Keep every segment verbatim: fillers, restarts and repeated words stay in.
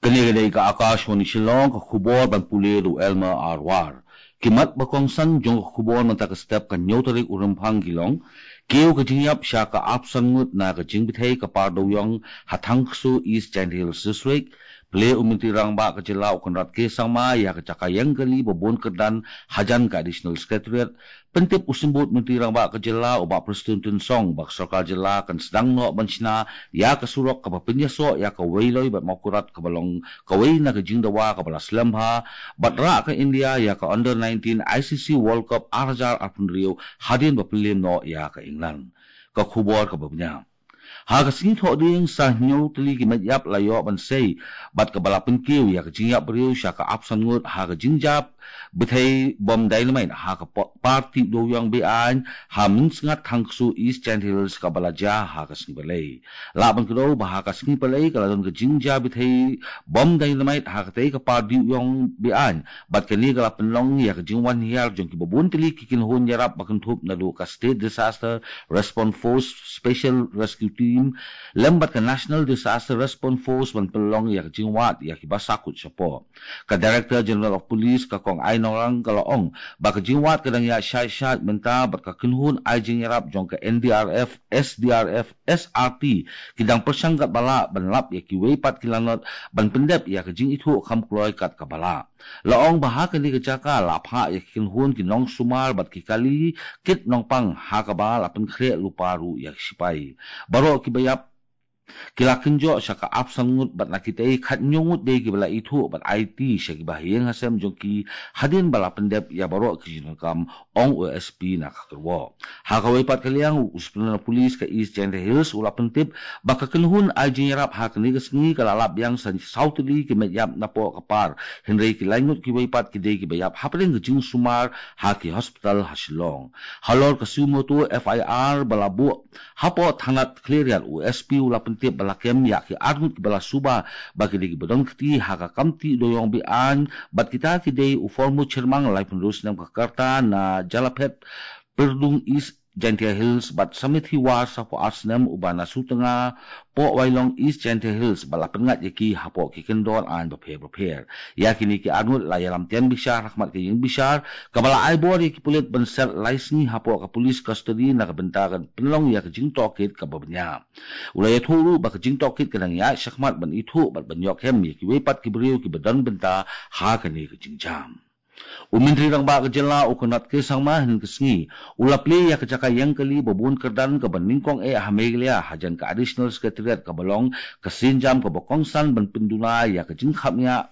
Kane ka dei ka Akashvani Shillong, ka khubor ban pule da u Elmer Arwar. Ki mat ba kongsan jong ka khubor mynta ka step ka hynñiew tarik u Rymphang ki long: Kiew ka jingïap sha ka arphew san ngut na ka jingbthei ka par dewiong ha Thangkso East Jaintia Hills District. Plie u Myntri Rangbah ka jylla u Conrad K Sangma ïa ka jaka ïeng kali ba bun kyrdan hajan ka Additional Secretariat. Pyntip u Symbud Myntri Rangbah ka jylla u Bah Prestone Tynsong ba ka sorkar jylla kan sdang noh ban shna ïa ka surok kaba pynïasoh ïa ka Weiloi bad Mawkyrwat kaba long kawei na ka jingdawa kaba la slem bha bad rah ka India ïa ka Under nineteen I C C World Cup ar hajar arphew hynriew hadien ba pynliem noh ïa ka England. Ka khubor kaba bniah. Ha ka sngi Thohdieng, sa hynñiew tylli ki met ïap la ïoh ban sei bad kaba la pynkiew ïa ka jingïap briew sha ka arphew san ngut ha ka jingjia bthei bom dynamite ha ka po-, par tih dewiong be-aiñ ha Mynsngat Thangkso East Jaintia Hills kaba la jia ha ka sngi Palei. Lah ban kdew ba ha ka sngi Palei ka la don ka jingjia bthei bom dynamite ha katei ka par dewiong be-aiñ bad kane ka la pynlong ïa ka jingwan hiar jong kiba bun tylli ki kynhun ïarap ba kynthup naduh ka State Disaster Response Force, Special Rescue Team lem bad ka National Disaster Response Force ban pynlong ïa ka jingwad ïa kiba sahkut shapoh. Ka Director General of Police, ka Kong I Nongrang, ka la ong ba ka jingwad ka dang ïaid shai shai mynta bad ka kynhun ai jingïarap jong ka N D R F, S D R F, S R T ki dang pyrshang katba lah ban lap ïa kiwei pat ki lanot ban pyndep ïa ka jingithuh kham kloi kat kaba lah. La ong ba ha kane ka jaka la phah ïa ki kynhun ki nongsumar bad ki kali kit nongpang ha kaba la pynkhreh lypa ruh ïa ki sipai. Baroh kiba ïap ki la kynjoh sha ka arphew san ngut bad na kitei khathynñiew ngut dei kiba la ithuh bad aiti sha kiba ha ïing ha sem jong ki hadien ba la pyndep ïa baroh ki jingdonkam, ong u S P na ka kyrwoh. Ha kawei pat ka liang, u Superintendent of Police ka East Jaintia Hills u la pyntip ba ka kynhun ai jingïarap ha kane ka sngi ka la lap biang sa saw tylli ki met ïap napoh ka par, hynrei ki lai ngut kiwei pat ki dei kiba ïap hapdeng ka jingsumar ha ki hospital ha Shillong. Halor ka suo motu F I R ba la buh hapoh thanat Khliehriat, u S P u la pyntip ba la kem ïa ki ar ngut kiba la suba ba ki dei kiba don kti ha ka kam tih dewiong be-aiñ bad kita ki dei u Formud Chyrmang, laiphew hynriew snem ka rta, na Jalaphet, Pyrdung East Jaintia Hills, bad Samithi War, saphew ar snem, uba na Sutnga, Pohwailong East Jaintia Hills, ba la pynngat ïa ki hapoh ki kyndon aiñ bapher bapher. Ïa kine ki ar ngut la ïalam tian bishar ha khmat ka ïing bishar kaba la ai bor ïa ki pulit ban set lai sngi hapoh ka police custody na ka bynta kan pynlong ïa ka jingtohkit kaba bniah. U la ïathuh ruh ba ka jingtohkit ka dang ïaid shakhmat ban ithuh bad ban ïoh kem ïa kiwei pat ki briew kiba don bynta ha kane ka jingjia. U Myntri Rangbah ka jylla u Conrad K Sangma hynne ka sngi u la plie ïa ka jaka ïeng kali ba bun kyrdan kaba nyngkong eh ha Meghalaya hajan ka Additional Secretariat kaba long ka sienjam kaba kongsan ban pynduna ïa ka jingkhapngiah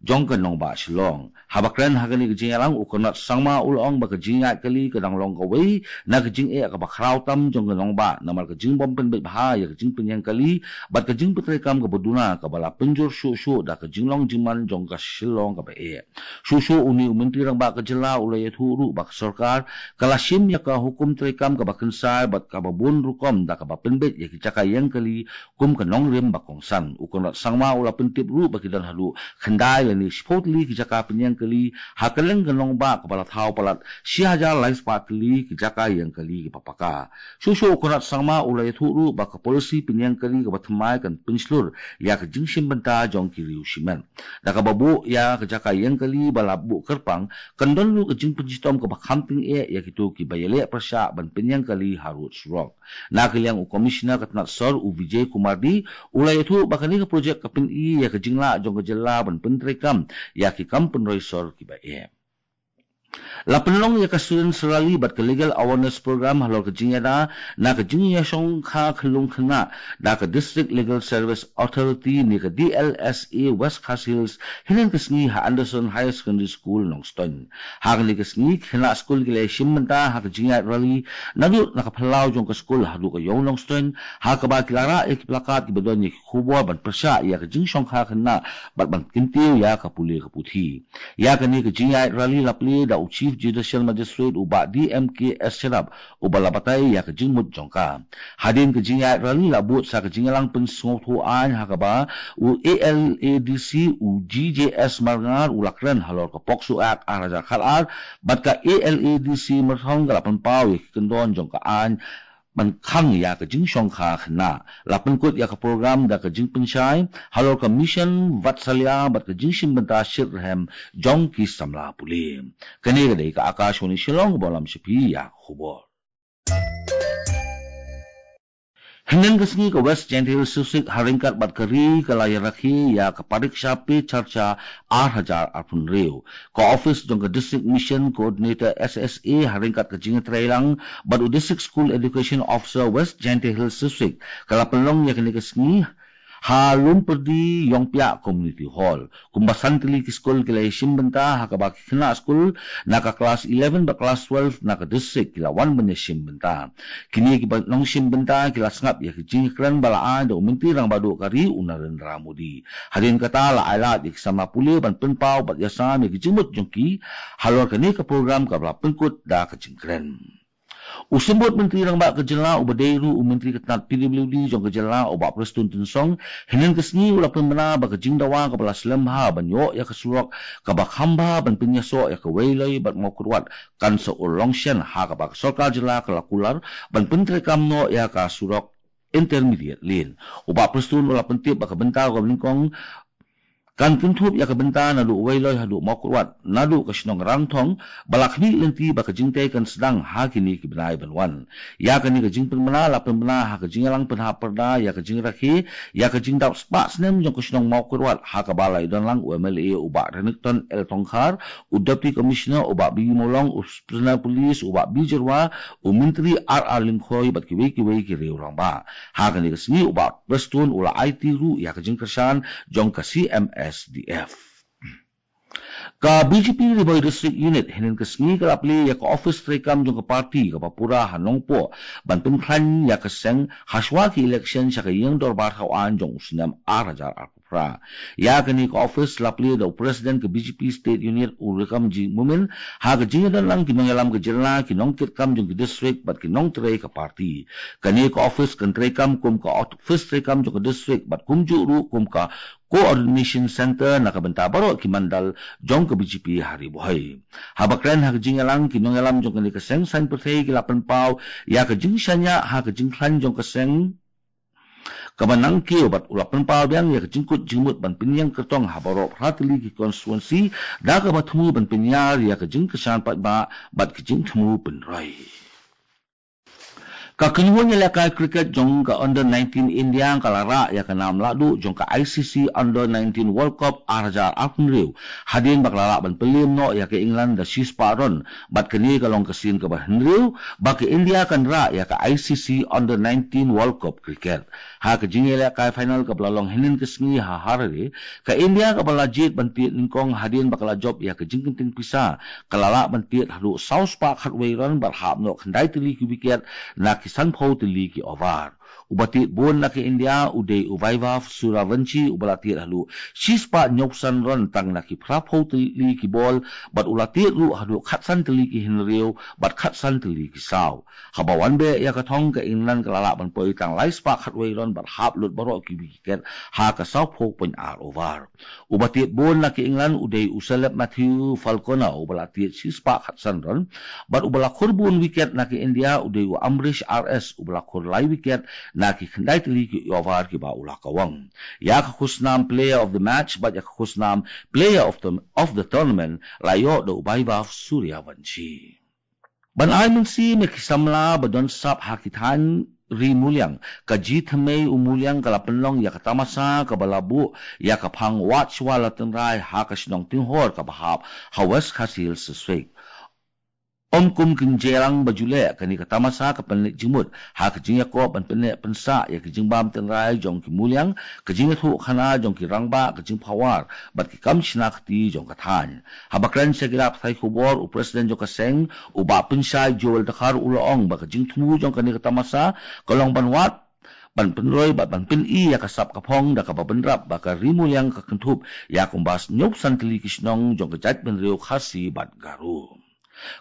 jong ka nongbah Shillong. Haba kren ha kane ka jingïalang, u Conrad Sangma u la ong ba ka jingïaid kali ka dang long kawei na ka jingeh kaba khraw tam jong ka nongbah, namar ka jingbym pynbeit bha ïa ka jingpynïeng kali bad ka jingpyntreikam kaba duna kaba la pynjur shuh shuh da ka jinglong jingman jong ka Shillong kaba eh. Shuh shuh une u Myntri Rangbah ka jylla u la ïathuh ruh ba ka sorkar ka la shim ïa ka hukum treikam kaba kynsai bad kaba bun rukom da kaba pynbeit ïa ki jaka ïeng kali kum ka nongrim ba kongsan. U Conrad Sangma u la pyntip ruh ba ki don haduh khyndai lane shiphew tylli ki jaka pynïeng kali ha kylleng ka nongbah kaba la thaw palat shi hajar lai spah tylli ki jaka ïeng kali kiba paka. Shuh shuh u Conrad Sangma u la ïathuh ruh ba ka polisi pynïeng kali kaba thymmai kan pynshlur ïa ka jingshim bynta jong ki riew shimet. Da kaba buh ïa ka jaka ïeng kali ba la buh kyrpang, kan don ruh ka jingpynshitom kaba kham tyngeh ïa kito kiba ïaleh pyrshah ban pynïeng kali harud surok. Na ka liang u Commissioner ka tnat sor u Vijay Kumar D u la ïathuh ba kane ka projek ka pyni ïa ka jinglah jong ka jylla ban pyntreikam ïa ki kam pynroi sor kiba eh. La pynlong ïa ka Students Rally bad ka Legal Awareness Program halor ka jingïada na ka jingïashongkha khyllung khynnah da ka District Legal Service Authority ne ka D L S A West Khasi Hills hynne ka sngi ha Anderson Higher Secondary School, Nongstoiñ. Ha kane ka sngi ki khynnah skul ki la ïashim bynta ha ka jingïaid rally naduh na ka phyllaw jong ka skul haduh ka ïew Nongstoiñ, ha kaba ki la rah ïa ki plakat kiba don ïa ki khubor ban pyrshah ïa ka jingshongkha khynnah bad ban kyntiew ïa ka pule ka puthi. Ïa kane ka jingïaid rally la plie da u Chief Judicial Magistrate u Bah D M K Shadap, uba la batai ïa ka jingmut jong ka. Hadien ka jingïaid rally la bud sa ka jingïalang pynsngewthuh aiñ ha kaba u A L A D C u G J S Marngar u la kren halor ka POCSO Act ar hajar khatar bad ka A L A D C Myrthong ka la pynpaw ïa ki kyndon jong ka aiñ ban khang ïa ka jingshongkha khynnah. La pynkut ïa ka program da ka jingpynshai halor ka Mission Vatsalya bad ka jingshim bynta shitrhem jong ki samla pule. Kane ka dei ka Akashvani Shillong, ka ba lam sha phi ïa ka khubor. Hynnin ka sngi ka West Jaintia Hills District ha ryngkat bad ka ri ka la ïarakhe ïa ka Pariksha Pe Charcha ar hajar arphew hynriew. Ka office jong ka District Mission Coordinator S S A ha ryngkat ka jingïatreilang bad u District School Education Officer West Jaintia Hills District ka la pynlong ïa kane ka sngi ha Lumpyrdi Ïongpiah Community Hall. Kumba san tylli ki skul ki la ïashim bynta ha kaba ki khynnah skul na ka klas eleven bad klas twelve na ka district ki la wan ban ïashim bynta. Kine kiba nongshim bynta ki la sngap ïa ki jingkren ba la ai da u Myntri Rangbah Duh ka ri u Narendra Modi. Hadien kata la ailad ïa ki samla pule ban pynpaw bad ïasam ïa ki jingmut jong ki halor kane ka program kaba la pynkut da ka jingkren. U Symbud Myntri Rangbah ka jylla uba dei ruh u Myntri ka tnat P W D jong ka jylla u Bah Prestone Tynsong, hynnin ka sngi u la pynbna ba ka jingdawa kaba la slem bha ban ïoh ïa ka surok kaba kham bha ban pynïasoh ïa ka Weiloi bad Mawkyrwat kan sa urlong shen ha kaba ka sorkar jylla ka la kular ban pyntreikam noh ïa ka surok intermediate lane. U Bah Prestone u la pyntip ba ka bynta kaba nyngkong kan kynthup ïa ka bynta naduh Weiloi haduh Mawkyrwat, naduh ka shnong Rangthong, ba la khmih lynti ba ka jingtei kan sdang ha kine ki bnai ban wan. Ïa kane ka jingpynbna la pynbna ha ka jingïalang pynhap pyrda ïa ka jingrakhe ïa ka jingdap spah snem jong ka shnong Mawkyrwat ha kaba la ïadon lang u M L A u Bah Renikton L Tongkhar, u Deputy Commissioner u Bah B Mawlong, u Superintendent Police u Bah B Jyrwa, u Myntri R R Lyngkhoi bad kiwei kiwei ki riew rangbah. Ha kane ka sngi u Bah Prestone u la aiti ruh ïa ka jingkyrshan jong ka C M S D F. Ka B J P Ri Bhoi District Unit hynnin ka sngi ka la plie ïa ka office treikam jong ka party kaba pura ha Nongpoh ban pynkhlaiñ ïa ka seng hashwa ki election sha ka ïing dorbar thaw aiñ jong u snem ar hajar arphew phra. Ïa kane ka office la plie da u President ka B J P State Unit u Rikamji Momin ha ka jingïadon lang ki nongïalam ka jylla, ki nongkitkam jong ki district bad ki nongtrei ka party. Kane ka office kan treikam kum ka office treikam jong ka district bad kumjuh ruh kum ka Coordination Center na ka bynta baroh ki mandal jong ka B J P ha Ri Bhoi. Haba kren ha ka jingïalang, ki nongïalam jong kane ka seng saiñ pyrthei ki la pynpaw ïa ka jingshaniah ha ka jingkhlaiñ jong ka seng kaba nangkiew bad u la pynpaw biang ïa ka jingkut jingmut ban pynïeng kyrtong ha baroh phra tylli ki constituency da kaba thmu ban pynïar ïa ka jingkyrshan paidbah bad ka jingthmu pynroi. Ka kynhun ïalehkai cricket jong ka Under nineteen India ka la rah ïa ka nam lahduh jong ka I C C Under nineteen World Cup ar hajar arphew hynriew hadien ba ka la lah ban pynliem noh ïa ka England da shispah run, bad kane ka long ka sien kaba hynriew ba ka India kan rah ïa ka I C C Under nineteen World Cup cricket. Ha ka jingïalehkai final kaba la long hynnin ka sngi ha Harare, ka India kaba la jied ban tied nyngkong hadien ba ka la jop ïa ka jingkynting pisa, ka la lah ban tied haduh saw spah khatwei run bad hap noh khyndai tylli ki wicket na ki sanphew tylli ki over. Uba tied bun na ka India u dei u Vaibhav Suryavanshi uba la tied haduh shispah hynñiewphew san run tang na ki phraphew tylli ki bol, bad u la tied ruh haduh khatsan tylli ki hynriew bad khatsan tylli ki saw. Haba wan beh ïa ka thong, ka England ka la lah ban poi tang lai spah khatwei run bad hap lut baroh ki wicket ha ka sawphew point ar over. Uba tied bun na ka England u dei u Caleb Matthew Falconer uba la tied shispah khatsan run, bad uba la khur bun wicket na ka India u dei u Ambrish R S uba la khur lai wicket na ki khyndai tylli ki over kiba u la kawang. Ïa ka khusnam Player of the Match bad ïa ka khusnam Player of the, of the Tournament la ïoh da u Vaibhav Suryavanshi. Ban ai mynsiem ïa ki samla ba don sap ha ki thaiñ ri Muliang, ka Jingthymmei u Muliang ka la pynlong ïa ka tamasa kaba la buh ïa ka phang wad shuwa la tynrai ha ka shnong Tinghor kaba hap ha West Khasi Hills District. Ym kum ki jingïalang ba ju leh, kane ka tamasa ka pynleit jingmut ha ka jingïakob ban pynneh pynsah ïa ka jingbam tynrai jong ki Muliang, ka jingïathuhkhana jong ki rangbah, ka jingphawar bad ki kam shna kti jong ka thaiñ. Haba kren sha ki lad pathai khubor, u President jong ka seng u Bah Pynshai Joel Dkhar u la ong ba ka jingthmu jong kane ka tamasa ka long ban wad, ban pynroi bad ban pyni ïa ka sap ka phong da kaba bynrap ba ka Ri Muliang ka kynthup ïa kumba hynñiewphew san tylli ki shnong jong ka jaitbynriew Khasi bad Garo.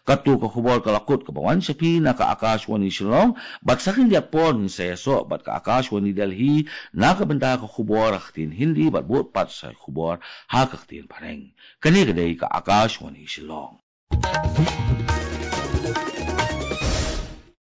Kato ka khubor ka la kut kaba wan sha phi na ka Akashvani Shillong, bad sa khyndiat por ngin sa ïasoh bad ka Akashvani Delhi na ka bynta ka khubor ha ka ktien Hindi bad bud pat sa khubor ha ka ktien Phareng. Kane ka dei ka Akashvani Shillong.